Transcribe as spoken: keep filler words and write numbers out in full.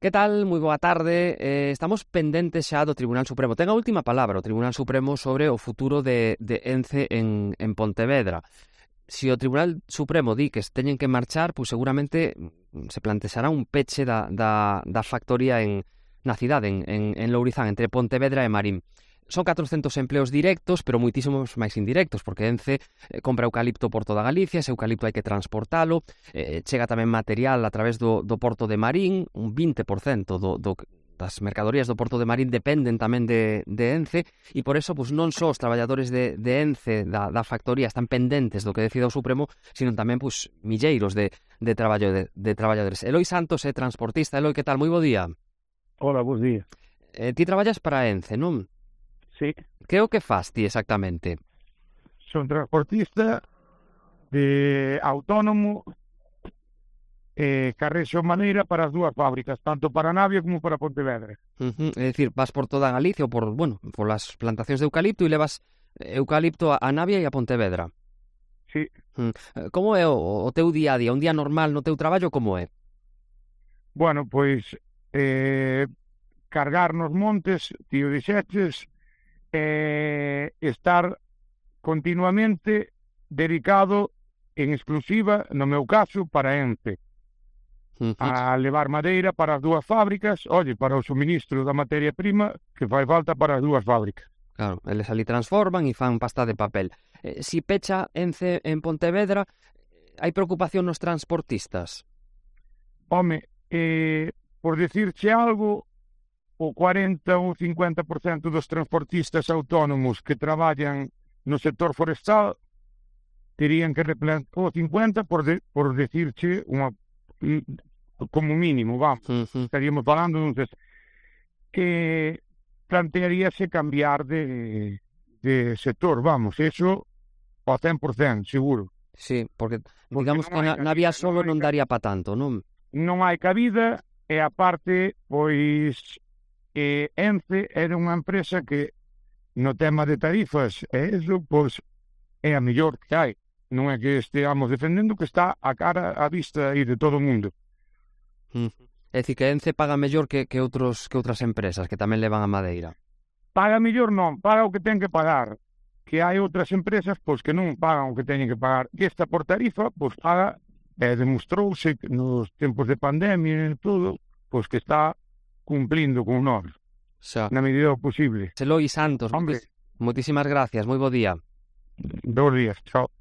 Que tal? Moi boa tarde. Eh, estamos pendentes xa do Tribunal Supremo. Ten a última palabra o Tribunal Supremo sobre o futuro de, de Ence en, en Pontevedra. Se o Tribunal Supremo di que se teñen que marchar, pois seguramente se plantexará un peche da, da, da factoría en, na cidade, en, en, en Lourizán, entre Pontevedra e Marín. Son catrocentos empleos directos, pero moitísimos máis indirectos, porque Ence eh, compra eucalipto por toda Galicia, ese eucalipto hai que transportalo, eh, chega tamén material a través do, do porto de Marín, un vinte por cento do, do, das mercadorías do porto de Marín dependen tamén de, de Ence, e por eso pues, non só os traballadores de, de Ence, da, da factoría, están pendentes do que decida o Supremo, sino tamén pues, milleiros de, de, traballo de, de traballadores. Eloi Santos é transportista. Eloi, que tal? Moi bo día. Hola, bos días. Eh, ti traballas para Ence, non? Sí. Que é o que fas ti exactamente? Son transportista de autónomo e carrexo maneira para as dúas fábricas, tanto para Navia como para Pontevedra. Uh-huh. É dicir, vas por toda Galicia ou por, bueno, por las plantacións de eucalipto e levas eucalipto a Navia e a Pontevedra. Sí. Uh-huh. Como é o, o teu día a día? Un día normal no teu traballo como é? Bueno, pois eh, cargar nos montes, tío dixeches, eh, estar continuamente dedicado en exclusiva, no meu caso, para Ence. Uh-huh. A levar madeira para as dúas fábricas, oye, para o suministro da materia prima que fai falta para as dúas fábricas. Claro, eles ali transforman e fan pasta de papel. Eh, si pecha Ence en Pontevedra, hai preocupación nos transportistas? Home, eh, por decirche algo, o cuarenta ou cincuenta por cento dos transportistas autónomos que traballan no sector forestal terían que replantear o cincuenta por, de, por decirche unha, como mínimo, vamos, uh-huh. estaríamos falando entonces, que plantearíase cambiar de, de sector, vamos, eso ao cen por cento seguro. Sí, porque digamos porque que na, na vía solo non, non daría pa tanto, non? Non hai cabida e aparte, pois E Ence era unha empresa que no tema de tarifas e eso, pois, é a mellor que hai. Non é que esteamos defendendo, que está a cara a vista aí de todo o mundo. Mm. É dicir, que Ence paga mellor que, que, outros, que outras empresas que tamén levan a madeira. Paga mellor non, paga o que ten que pagar. Que hai outras empresas pois que non pagan o que teñen que pagar. E esta por tarifa, pois paga, e demostrouse nos tempos de pandemia e todo, pois que está cumplindo con nós, xa, na medida posible. Eloi Santos, Hombre, moitísimas gracias, moi bo día. Dos días, chao.